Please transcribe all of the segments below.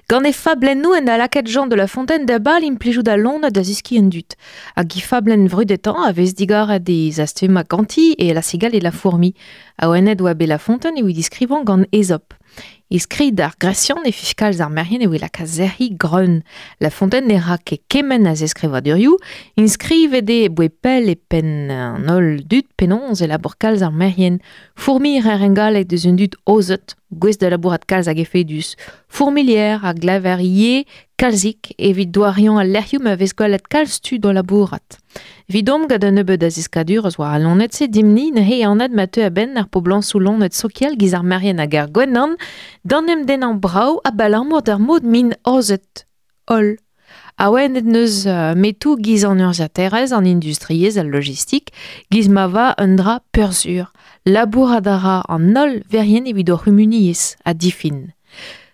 Gant e fablennoù en da lakaet Jean de La Fontaine da bal implijout al loened da zeskiñ an dud. Hag he fablenn vrudetañ a vez digoret e zastummañ ganti e La cigale et la fourmi. Awenet oa bet La Fontaine evit diskrivañ gant Aesop. E skrid ar Gresian e fiz kalz ar merc'hed eo e laka sec'hiñ greun. La Fontaine ne ra ket kement a zeskrivadurioù. Inskrivet eo e boe pell e penn an holl dud penaos e labour kalz ar merc'hed. Fourmilher en galleg deus un dud aozet, gouest da labourat kalz hag efedus. Fourmilier a glever ivez kalzik evit doariañ al lec'hioù ma vez gwelet kalz tud o labourat. Evidomp gant un nebeud a zeskadurezh war al loened-se dimp-ni neuze anat ma teu a-benn ar poblañsoù loened sokial giz ar merien hag ar gwenan d'an em dennañ brav abalamour d'ar mod m'int aozet holl. Awenet n'eus metoù giz an urzhiataerezh, an industriezh, al logistik, giz ma va un dra peursur. Labourat a ra an holl verien evit o c'humuniezh ha difin.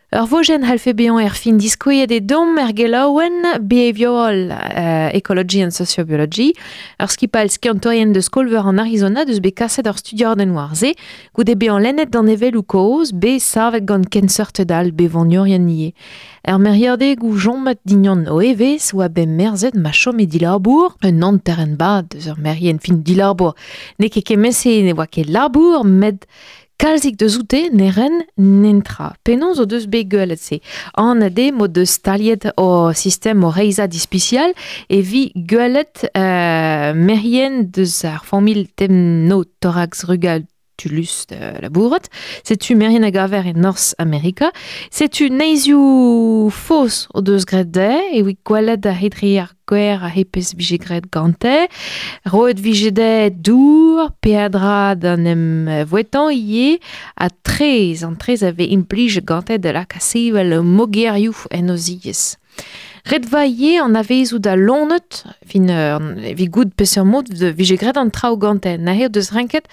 Ur vojenn c'hallfe bezañ erfin diskouezet eo deomp er gelaouenn Behavioral Ecology and Sociobiology. Ur skipailh skiantourien deus skol-veur an Arizona deus bet kaset ur studiadenn war se goude bezañ lennet danevelloù kozh bet savet gant kenseurted all bevoniourien ivez. Er meriadegoù chomet dignon o evezh oa bet merzet ma chome dilabour un hanterenn-bad eus ur merien fin dilabour. N'eo ket kement-se ne oa ket labour met Kalzik deus oute ne ren netra. Penaos o deus bet gwelet se? Anat eo m'o deus staliet o sistem o reizhañ ispisial evit gwelet merien deus ar familh Temnothorax rugatulus da labourat. Setu merien a gaver e Norzh Amerika. Setu neizhioù faos o deus graet dezhe evit gwelet a-hed-re ar gwer a hepez vije graet gante. Roet vije dezhe dour, peadra d'an em vouetañ ivez, ha traezh, an traezh a vez implijet gante da lakaat sevel mogerioù en o ziez. Ret va ivez anavezout al loened, fin evit goût peseurt mod vije graet an traoù gante. Neuze o deus renket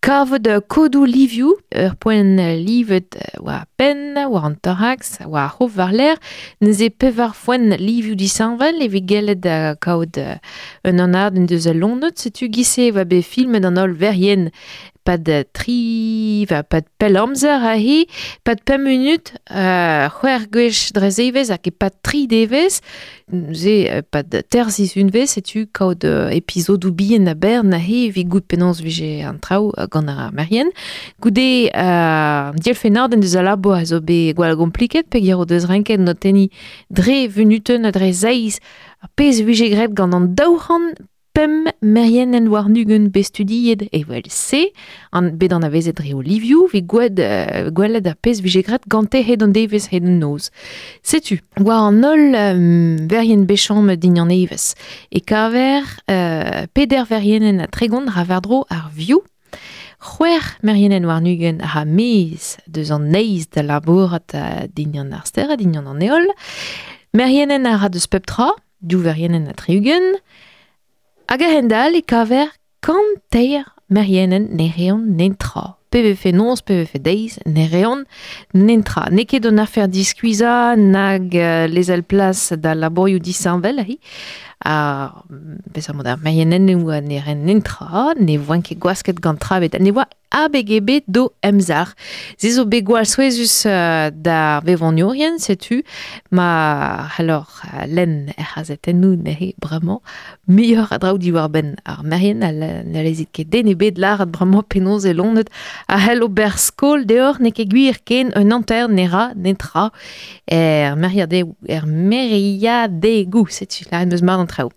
Kavout kodoù livioù, ur poent livet war penn, war an toraks, war ar c'hof war-lerc'h. Neuze pevar foenn livioù disheñvel evit gellet kaout un anadenn deus al loened. Setu giz-se e oa bet filmet an holl verien pad tri, pad pell amzer aze, pad pemp munut, c'hwec'h gwech dre zevezh hag e-pad tri devezh. Neuze pad teir sizhunvezh setu kaout epizodoù bihan a-bern aze evit goût penaos vije an traoù gant ar merien. Goude an dielfennadenn deus al labour a zo bet gwall gompliket peogwir o deus renket notenniñ dre vunutenn ha dre zeiz ar pezh a vije graet gant an 200 Pemp merienenn warn-ugent bet studiet evel-se, an, bet anavezet dre o livioù, evit gwed, gwelet ar pezh vije graet gante hed an devezh, hed an noz. Setu, war an holl verien bet chomet din an evezh, e kaver peder verienenn ha 30 ra war-dro ar vioù, c'hwec'h merienenn warn-ugent a ra maez deus an neizh da labourat dindan ar stered, dindan an heol, merienenn a ra deus pep tra, div verienenn ha 60. Hag a-hend-all e kaver 103 merienenn ne reont netra. Pe vefe noz, pe vefe deiz, ne reont netra. N'eo ket un afer diskuizhañ nag lezel plas da labourioù disheñvel aze. Ar peseurt mod ar merienennoù ne rent netra, ne voent ket gwasket gant tra ebet. Ne oa abeg ebet d'o emzalc'h. Se zo bet gwall souezhus d'ar vevoniourien, setu ma c'helloc'h lenn er c'hazetennoù neuze bremañ muioc'h a draoù diwar-benn ar merien ha ne lezit ket den ebet lâret bremañ penaos e loened a c'hell ober skol deoc'h n'eo ket gwir ken un hanter ne ra netra er meriadegoù, er meriadegoù setu lâret 'm eus mat an traoù.